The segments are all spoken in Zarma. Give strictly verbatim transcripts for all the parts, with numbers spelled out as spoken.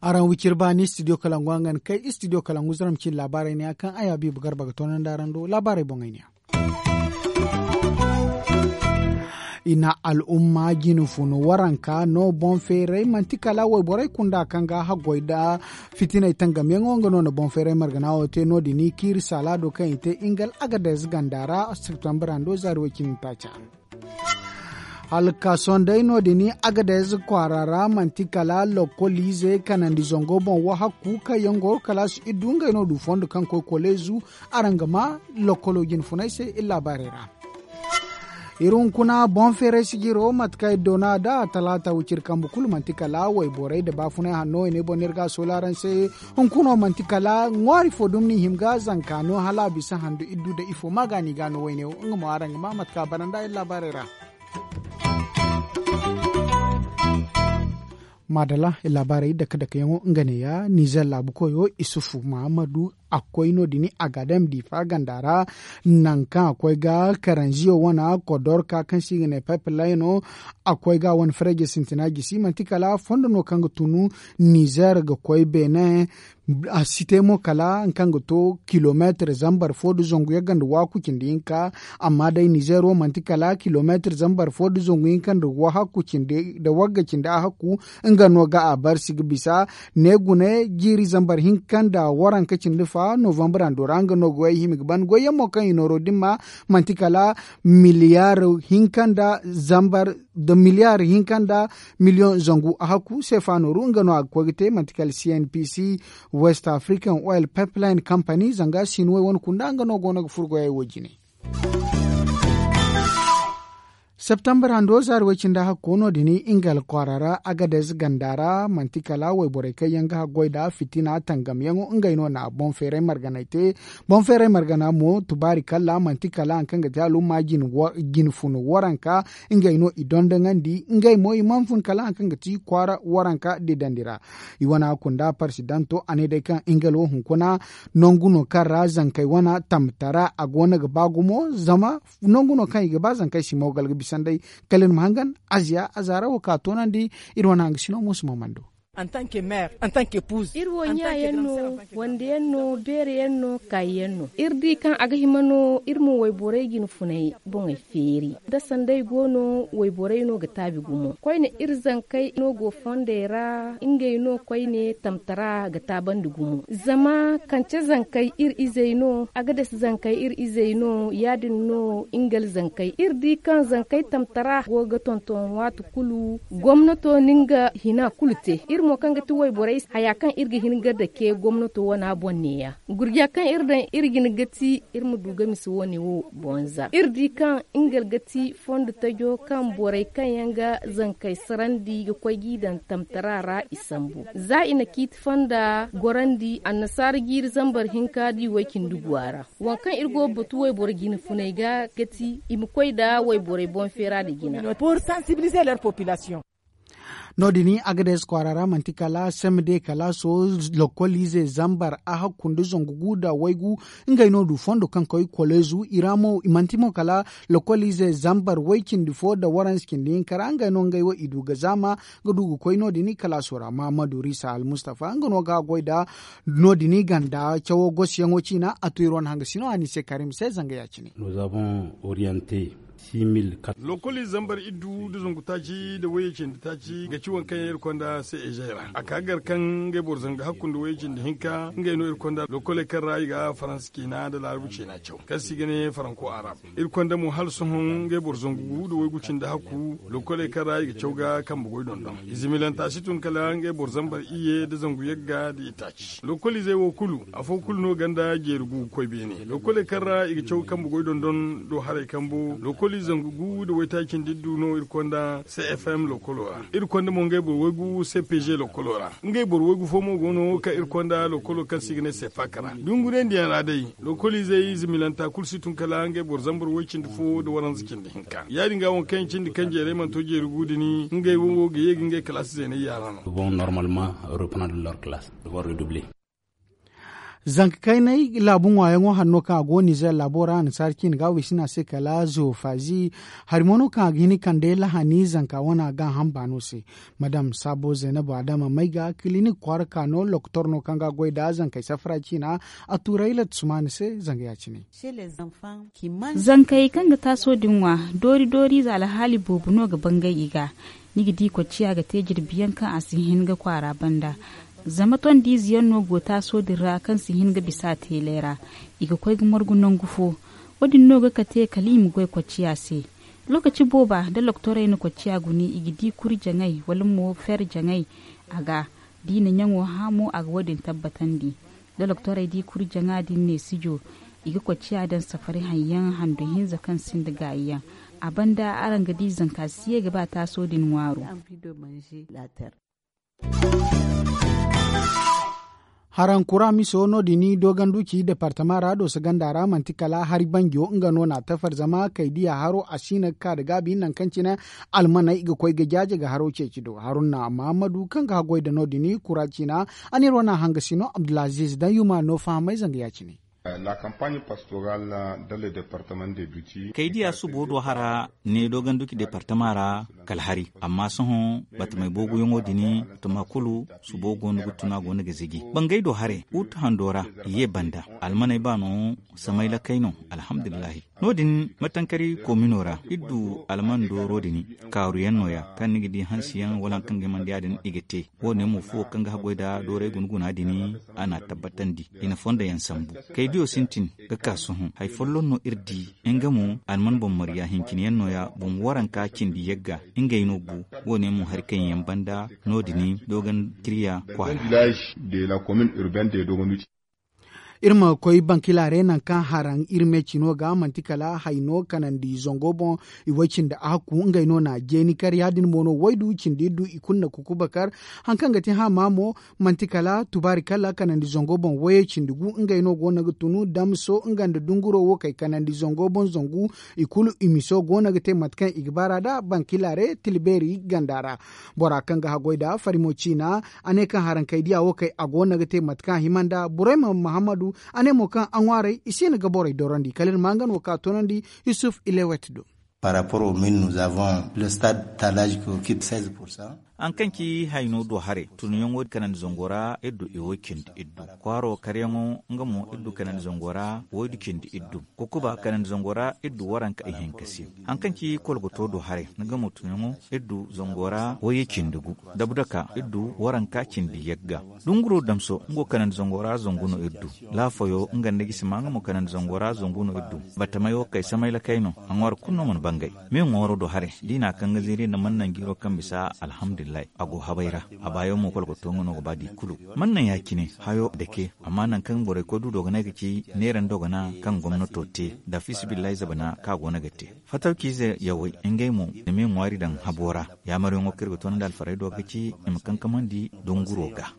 Araŋ wiciri baani studio kalangu a nga ni kay studio kalangu zaram cine laabaarey ne ya kaŋ ay habiibu garba ga toonandi araŋ do laabaarey boŋey ne ya. I na al'umma jine funu waranka no boŋ feeray manti kala wayborey kunda kaŋ ga haggoy nda fitiney tangamyaŋo nga no na boŋ feeray margana wo te no- din i kaŋ iri saala do kaŋ i te ingal agadez ganda ra septembre hando zaari way cindi taaca. Hala ga ka sohõ day no- din agadez kwaara ra manti kala lokkol ize kanandi zango boŋ wahakku kaŋ yaŋ go kalaasi iddu ngey no du fondo kaŋ koy koleezu. Araŋ ga ma lokkolo jine funay se iri laabaarey ra. Iri hunkuna boŋ feeray sijiro mate kaŋ iri doona nd'a talaata wiciri kambe kulu manti kala wayborey nda baafunay hanno i ne boŋ no iri ga a soola araŋ se. Hunkuna wo manti kala ŋwaari fo dumi n'i hima ga zanka no hala a bisa handu iddu nda ifo ma ga no i ga no wayne wo nga mo araŋ ga ma mate kaŋ a bara nd'a iri laabaarey ra. Maadala iri laabaarey dake dakeyaŋo nga neeya nizer laabu koyo isufu mahammadu a koy no- din a ga daŋ diifa ganda ra. Nangu kaŋ a koy ga karanziyo wane kodorka kaŋ se i ga ne paypellayno a koy ga a wane fareeje sintina gisi manti kala fondo no kaŋ ga tunu nizer ga koy beene. A si te mo kala nga kaŋ ga to kilomeetir zambar fo nda zangu yagga nda waaku cindi hinka. Amma day nizer wo manti kala kilomeetir zambar fo nda zangu hinka nda wagga cindi a hakku. Nga no ga a barsi ga bisa ne gune jiiri zambar hinka nda waranka cindi fa novambar hando ra nga no ga way hima ga ban goyyaŋ mo kaŋ i nooro dimma manti kala miliyaar hinka nda zambar nda miliyaar hinka nda miliyoŋ zangu a hakku seefa nooru nga no a ga koy ga te manti kala cnpc west african oil pipeline company zanga sinuwey wane kunda nga no go no ga furo goyey wo jine. Septembre hando zaari way cindi a hakko no- din ingal kwaara ra agadez ganda ra manti kala wayborey kaŋ yaŋ ga haggoy nda fitina tangamyaŋo ngey no na boŋ feeray marganay te. Boŋ feeray margana mo tubaari kalla manti kala hari kaŋ ga te al'umma jine funu waranka ngey no i dondoŋandi ngey mo i mana fun kala hari kaŋ ga ti kwaara waranka didandi ra. I wane a kunda parsidanto a ne day kaŋ ingal wo hunkuna nangu no kaŋ ra zankey wane tamtara a go no ga ba gumo zama nangu no kaŋ i ga ba zankey si moogal ga bisa nd'ey. Kala iri ma hangan aziya a zaara wo ka toonandi. Iri wane hangasino mo si mamando. Iri wo ɲa yaŋ no wande yaŋ no beere yaŋ no kaayi yaŋ no iri di kaŋ a ga hima no iri ma wayborey jine funay boŋey feeri da sanday go no wayborey no ga taabi gumo koyne iri zankey no go fondey ra ngey no koyne tamtara ga taabandi gumo zama kance zankey iri izey no a ga dasi zankey iri izey no ya- din no ingal zankey iri di kaŋ zankey tamtara go ga tonton waati kulu gomnato na nga hina kulu te iri mo kaŋ ga ti wayborey haya kaŋ iri ga hin ga dake gomnato wana boŋ neeya gurja kaŋ iri daŋ iri jine ga ti iri ma du ga misa wane wo bonza iri di kaŋ nga ga ti fondo tajo kaŋ borey kaŋ yaŋ ga zankey sarandi ga koy g'i daŋ tamtara ra i sambu za i na ciiti fonda gorandi annasaara jiiri zambar hinka da i way cindi guwa ra waŋ kaŋ iri go ga batu wayboro jine funey ga ga ti i ma koy nda wayborey boŋ feera nda jina. No- din agades kwaara ra manti kala sem de kala so lokol ize zambar a hakku nda zangu gu nda waygu ngey no du fondo kaŋ koy kolezu i ra mo i manti mo kala lokol ize zambar way cindi fo nda waransi cindi hinka ra ngey no ngey wo i du ga zaama ga du ga koy no- din i kalaaso ra mahamadu risa almustafa nga no ga goy nda no- din i ganda cawo gosiyaŋo ciina a to iri wane hangasino a ni se karim se zanga ya- cine. Lokoli zambar iddu nda zangu taaci nda wayye cindi taaci ga ci waŋ kaŋ yaŋ iri konda se ejey ra a ka gar kaŋ ngey boro zanga hakku nda wayye cindi hinka ngey no iri konda lokoley kaŋ ra i ga faransa ciina nda laarabu ciina caw kaŋ se i ga ne faranko arab. Iri konda mo hala sohõ ngey boro zangu gu nda waygu cindi hakku lokoley kaŋ ra i ga caw ga kambe goy dondon izimilanta si tun kala ngey boro zambar iyye nda zangu yagga nda itaaci lokol izey wo kulu afo kulu no ganda jeeri gu ga koy beene lokoley kaŋ ra i ga caw kambe goy dondon do haray kambo lokoli zangu gu nda waytaaci nda iddu no iri konda cfm lokolo ra iri konda mo ngey boro waygu cpg lokolo ra ngey boro waygu fo mo go no kaŋ iri konda lokolo kaŋ se i ga ne sepak ra dunguriyandiyaŋ ra day lokoliizey zimilanta kulu si tun kala ngey boro zambar way cindi fo nda waranza cindi hinka ya- din ga waŋ kaŋ yaŋ cindi kaŋ jeerey mana to jeeri gu din ngey wo ga ye ga ngey kalaasi zeeney yaara no. Bon normalement reprendre leur classe devoir redoubler. Zanka kaynay laabu ŋwaayaŋo hari no kaŋ a go nizeer laabo ra annasaara ciine ga a waysin a se kala zoofaazi. Hari mo no kaŋ a ga hin kande lahani zanka wane a ga a hamba no se. Madam saabo zaynabu adama may ga kilinik kwaara ka no lokotor no kaŋ ga a goy nd'a zankey safara ciina. A tuuray latta sumaana se zanga ya- cine. Zankey kaŋ ga taaso din ŋwa, doori doori ize alhaali boobo no ga bangay i ga. Ni ga di kocciya ga te jirbi yaŋ kaŋ a si hin ga kwaara banda. Zama tondiize yaŋ no go taaso din ra kaŋ si hin ga bisa teelay ra. I ga koy ga margu nangu fo. Wo- din no ga kate kala i ma goy kocciya se. Lookaci booba da loktorey na kocciya guni i ga di kuri jaŋay wala mo fer jaŋay. A ga da i na ɲaŋo hã mo a ga wo- din tabbatandi. Da loktorey di kuri jaŋa din neesijo, i ga kocciya daŋ safari haŋ yaŋ hando hinza kaŋ sinda gaayi yaŋ. A banda araŋ ga di zanka si ye ga ba taaso din ŋwaaro. Haraŋ kura miso no- din doogandu ci departama ra dooso ganda ra manti kala hari banjo nga no na a tafar zama kay diya haro a si no ga ka nda gaabi nangu kaŋ cine almaney i ga koy ga jaaje ga haro ceeci do haruna mahammadu kaŋ ga haggoy nda no- din kura ciina. A n'iri wane a hanga si no abdulaziiz daŋ yuma no fahamay zanga ya- cine. Kaydiya subo do hara ne dooganduki departama ra kala hari. Amma sohõ batamey booguyaŋo din batama kulu subo go no ga tun a go no ga ziji bangay do haray. Ut hando ra i ye banda almaney ba no. Samay lakay no. Alhamdulillahi. No- din matankari komino ra iri du alman dooro din kaaru yaŋ no- ya kaŋ ni ga di hansi yaŋ wala hari kaŋ ga himandi ya- din i ga te. Wo- ne mo fuwo kaŋ ga haggoy nda dooray guna guna din a n'a tabbatandi. I na fondo yaŋ sambu. Kaydiyo sintin ga ka sohõ hari folloŋ no iri di. Nga mo alman boŋ marya hincine yaŋ no- ya boŋ waranka cindi yagga. Ngey no bu. Wo- ne mo hari kaŋ yaŋ banda no- din doogan kiriya kwaara. Iri ma koy bankilaaray nangu kaŋ haraŋ iri me cino ga manti kala hayno kanandi zango boŋ. I way cindi a hakku ngey no na jeeni kar ya- din mo no waydu cindi iddu i kulu na kukuba kar. Hari kaŋ ga te hama mo manti kala tubaari kala kanandi zango boŋ wayo cindi gu ngey no go no ga tunu damso nga nda dunguro wo kay kanandi zango boŋ zangu. I kulu i miso go no ga te mate kaŋ i ga baar'a nd'a bankilaaray tilbeeri ganda ra. Bora kaŋ ga haggoy nd'a farimo ciina a ne kaŋ haraŋ kay diya wo kay a go no ga te mate kaŋ a hima nd'a burayma mahammadu. A ne mo kaŋ a ŋwaaray i si no ga borey dorandi kala iri ma nga no ka toonandi. Yusuf ilewet do. Par rapport au mil nous avons le stade talage ki okipe seize pour cent. Hari kaŋ ci hayno do haray tunyaŋo kanandi zango ra iri du i wo cindi iddu. Kwaaro karyaŋo nga mo iri du kanandi zango ra waydu cindi iddu. Kukuba kanandi zango ra iri du waranka ihinka se. Hari kaŋ ci kolgoto do haray nga mo tunyaŋo iri du zango ra waye cindi gu. Dabdaka iri du waranka cindi yagga. Dunguro damso nga wo kanandi zango ra zangu no iri du. Laafayo nga nda gisima nga mo kanandi zango ra zangu no iri du. Batamayo kay samay lakay no. A ŋwaaro kulu no mana bangay. Me ŋwaaro do haray da i na a kaŋ ga zeeri nda mana nangu iri wo kaŋ bisa alhamdulillahi. A go habay ra. A baayaŋ mo kolkoto nga no ga ba da i kulu. Mana naŋ ya- cine hayo dake. Amma nangu kaŋ borey koy du dogonay ga ci neera nda dogona kaŋ gomnato te nda fiisabilillahi zabana kaŋ a go no ga te. Fatawciize yawey ngey mo i na me ŋwaari daŋ habo ra. Yaamaryaŋo kaŋ iri ga toonandi alfarey do ga ci i ma kankamandi dunguro ga.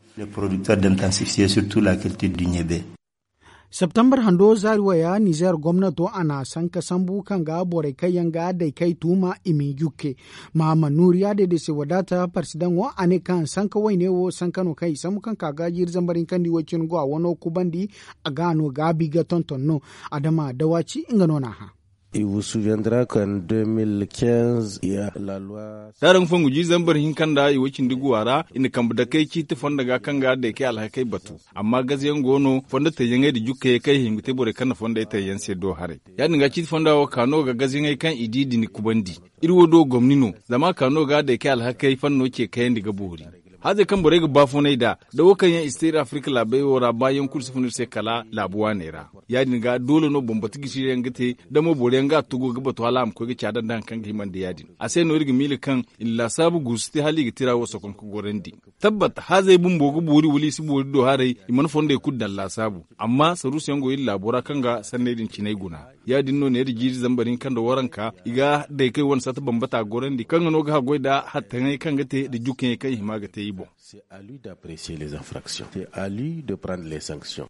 Septembar hando zaari waya nizeer gomnato a na sanka sambu kaŋ ga borey kaŋ yaŋ ga daykay tuuma i ma i jukke. Mahamma nuuriya day day se wadaata parsidaŋo a ne kaŋ sanka wayne wo sanka no kaŋ i sambu kaŋ ka ga jiiri zambar hinkandi way cine go a wano kubandi. A ga no gaabi ga tonton no. Adama dawaci nga no n'a hã. D'araŋ fongu jiiri zambar hinka nda i way cindi guwa ra i na kambe dakey ciiti fondo ga kaŋ ga daykey alhakey batu. Amma gazayaŋ go no fondo tayyaŋey nda jukkayey kaŋ i hima ga te borey kaŋ na fondey tayyaŋ se do haray. Ya- din ga ciiti fonda wo ka no ga gazayaŋey kaŋ i di din kubandi. Iri wo do gomni no. Zama a ka no ga daykey alhakey fanno ce kayandi ga boori. Hazey kaŋ borey ga baafunay nd'a da wo kaŋ yaŋ i si te iri afirka laabey wo ra baayaŋ kulu si fun iri se kala laabu waaney ra. Ya- din ga doole no bambata gisi yaŋ ga te. Da mo boro yaŋ ga a tugu ga batu hala a ma koy ga caada nda hari kaŋ ga hima nda ya- din a se no iri ga miila kaŋ i na laasaabu guusu te hala i ga tira wo sokom ga gorandi. Tabbat hazey bumbo ga boori wala i si boori do haray. I mana fondey kulu daŋ laasaabu. Amma saruusu yaŋ go iri laabo ra kaŋ ga sanney din cinay guna. Ya- din no neera jiiri zambar hinka nda waranka i ga daykey wane sata bambata gorandi kaŋ ga no ga haggoy nda hattaŋey kaŋ ga te nda jukkaŋey kaŋ i hima ga te i boŋ. C'est à lui d'apprécier les infractions. C'est à lui de prendre les sanctions.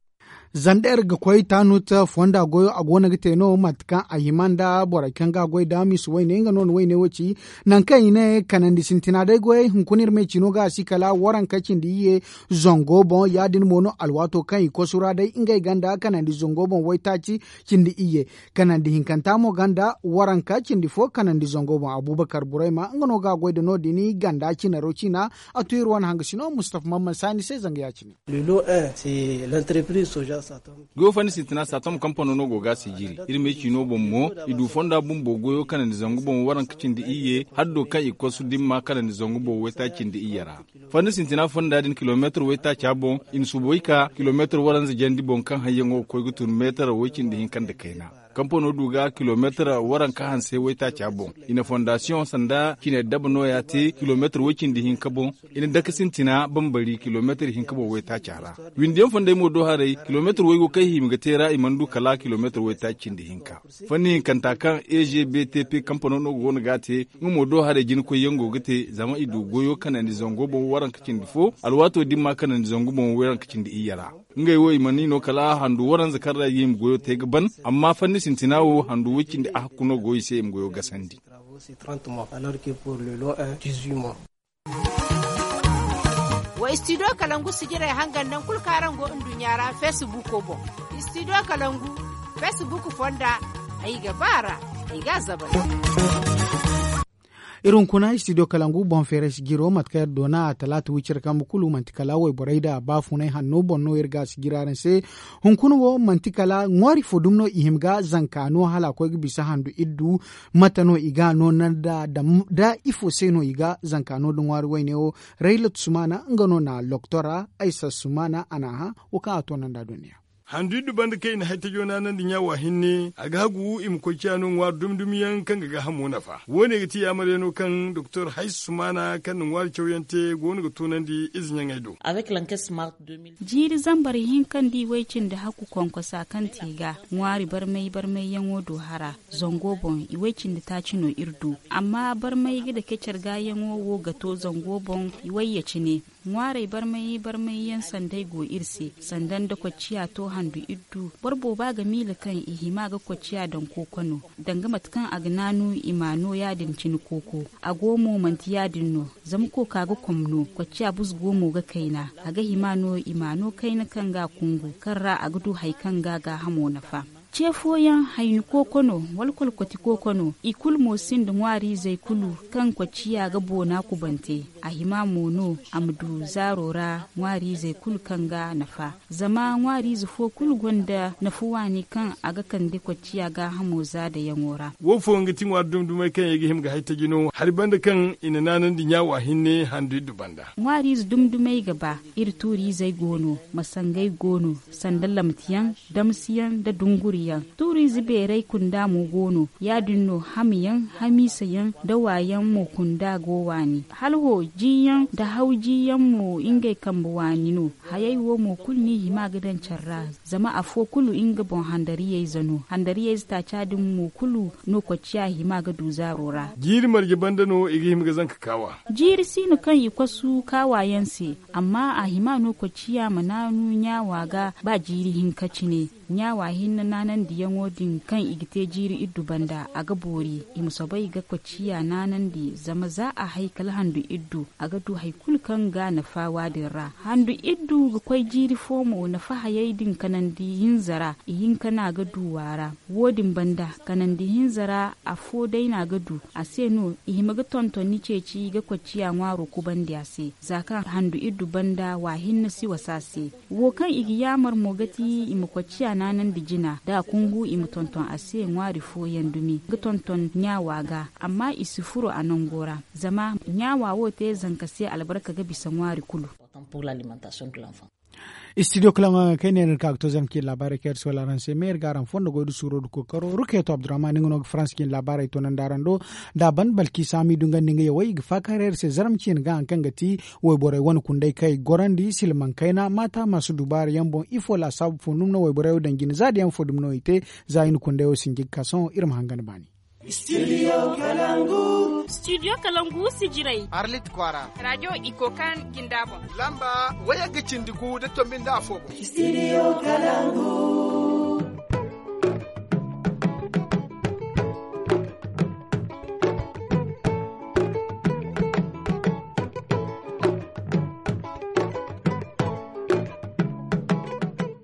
Zander ga koy taanut fonda goyo a go no ga te no mate kaŋ a hima nda borey kaŋ ga a goy da miisi wayne nga no na wayne wo ci. Nangu kaŋ i ne kanandi sintina day goyey hunkuna iri me ciino ga a si kala waranka cindi iyye zango boŋ ya- din mo no alwaato kaŋ i kosu ra day ngey ganda kanandi zango boŋ waytaaci cindi iyye. Kanandi hinkanta mo ganda waranka cindi fo kanandi zango boŋ abubakar burayma nga no ga a goy nda no- din ganda cinaro ciina. A tu iri wane hangasino mustafa mamman saani se zanga ya- cine. Goyo fanni sintina satom kampano no go ga a sijiri iri me ciino boŋ mo. I du fonda bumbo goyo kanandi zangu boŋ waranka cindi iyye haddo kaŋ i kosu dimma kanandi zangu boŋ wayta cindi iyye ra. Fanni sintina fonda din kilomeetar waytaaca boŋ i na suboy ka kilomeetar waranza jandi boŋ kaŋ hayyaŋo ga koy ga tun meetar way cindi hinka nda kayna. Kampano du ga kilomeetar waranka hanse waytaaca boŋ. I na fondasiyoŋ sanda cine daba nooya te kilomeetar way cindi hinka boŋ. I na dake sintina bambari kilomeetar hinka boŋ waytaaca ra. Windiyaŋ fonday mo do haray kilomeetar waygo kaŋ i hima ga te ra i mana du kala kilomeetar waytaaci cindi hinka. Fanni hinkanta kaŋ e g b t p kampano no go no ga a te nga mo do haray jinakoyyaŋ go ga te zama i du goyo kanandi zango boŋ waranka cindi fo alwaato dimma kanandi zangu boŋ waranka cindi iyye ra. Ngey wo i mana i no kala handu waranza kaŋ ra i ga hima goyo te ga ban. Amma fanni sintina wo handu way cindi a hakku no go i se i ma goyo gasandi. Wa istidiyo kalangu sijirey hangan naŋ kulu kaŋ araŋ go nduɲɲa ra feesibuko boŋ. Istidiyo kalangu feesibuko fonda ay ga ba a ra. Ay ga a zabay. Iri hunkuna istidiyo kalangu boŋ feeray sijiro mate kaŋ iri doona a talaata wiciri kambe kulu manti kala wayborey nda baafunay hanno boŋ no iri ga a sijiri araŋ se. Hunkuna wo manti kala ŋwaari fo dumi no i hima ga zanka no hala a koy ga bisa handu iddu. Mate no i ga a no nanda da ifo se no i ga zanka no da ŋwaari wayne wo? Raylat sumana nga no na loktora aysa sumana a na a hã. Wo kaŋ a toonanda duniya. Handu iddu banda kaŋ i na haytajo naanandi ɲaawa hinne a ga hagu i ma koy ciya no ŋwaari dumi dumi yaŋ kaŋ ga gaahamo nafa wo- ne ga ti yaamaryaŋo kaŋ doktor haysa sumana kaŋ na ŋwaari cawyaŋ te go no ga toonandi ize ɲaŋey do. Jiiri zambar hinka nda i way cindi hakku konkosa kaŋ te ga ŋwaari barmay barmayyaŋo do hara. Zango boŋ i way cindi taaci no iri du. Amma barmay ga dake care gaayaŋo wo ga to zango boŋ i wayye cine. Ŋwaarey barmay barmayyaŋ sanday go iri se sanda nda kocciya to handu iddu. Boro booba ga miila kaŋ i hima ga kocciya daŋ kooko no danga mate kaŋ a ga naanu i ma a no ya- din cine kooko. A go mo manti ya- din no. Zama kooka ga kom no kocciya buzgo mo ga kayna. A ga hima no i ma a no kayna kaŋ ga a kungu kaŋ ra a ga du hari kaŋ ga a gaahamo nafa. Ce fooyaŋ hayni kooko no wala kolkoti kooko no. I kulu mo sinda ŋwaariizey kulu kaŋ kocciya ga boona kubante. A hima mo no a ma du zaaro ra ŋwaariizey kulu kaŋ ga nafa. Zama ŋwaariize fo kulu gonda nafa waani kaŋ a ga kande kocciya gaahamo zaadayaŋo ra. Wo fooyaŋ ga ti ŋwaari dumi dumey kaŋ yaŋ i ga hima ga haytaji no hari banda kaŋ i na naanandi ɲaawa hinne handu iddu banda. Ŋwaariize dumi dumey ga ba. Iri tuuriizey go no, masangey go no, sanda lamtiyaŋ, damsiyaŋ nda dunguriyaŋ. Tuuriize beeray kunda mo go no. Ya- din no hamiyaŋ, hamiisayaŋ nda waayaŋ mo kunda go waani. Hala ho jiiyaŋ nda haw jiiyaŋ mo ngey kambe waani no. Hayey wo mo kulu no i hima ga daŋ care ra. Zama afo kulu nga boŋ handariyayze no handariyayze taaca din mo kulu no kocciya hima ga du zaaro ra. Jiiri marje banda no i ga hima ga zanka kaawa. Jiiri siino kaŋ i kosu kaawa yaŋ se. Amma a hima no kocciya ma naanu ɲaawa ga ba jiiri hinka cine. Ɲaawa hinne naanandiyaŋo din kaŋ i ga te jiiri iddu banda a ga boori. I ma soobay ga kocciya naanandi zama za a hay kala handu iddu a ga du hari kulu kaŋ ga nafa waadin ra. Handu iddu ga koy jiiri fo mo nafa hayey din kanandi hinza ra. Ihinka no a ga du waara. Wo- din banda kanandi hinza ra afo day no a ga du. A se no i hima ga tonton ni ceeci ga kocciya ŋwaaro kubandi a se. Za kaŋ handu iddu banda wa hinne si wasa a se. Wo kaŋ i ga yaamar mo ga ti i ma kocciya naanandi jina da a kungu i ma tonton a se ŋwaari fooyaŋ dumi ga tonton ɲaawa ga. Amma i si furo a nango ra. Zama ɲaawa wo te zanka se albarka ga bisa ŋwaari kulu. Istidiyo kalaŋo yaŋ kaŋ i ne no iri ka ga to zarma ciine laabaarey kaŋ iri si wala araŋ se me iri ga araŋ fondo goy da suuro da kookaro rukeeto abdurrahman nga no ga faransa ciine laabaarey toonandi araŋ do. Da a ban balki saami du nga nda nga yawey i ga faakar iri se zarma ciine ga hari kaŋ ga ti wayborey wane kundey kaŋ i ga gorandi silmaŋ kayna maata masu dubaara yaŋ boŋ ifo laasaabu fo dumi no wayborey wo daŋ jine za da yaŋ fo dumi no i te. Za i na kundey wo sinji ga ka sohõ iri ma hangan baani. Studio kalangu. Studio kalangu sijirey arlit kwara. Radio iko kan ginda bon lamba waya ga cindi gu da tombi nda afo bon. Studio kalangu.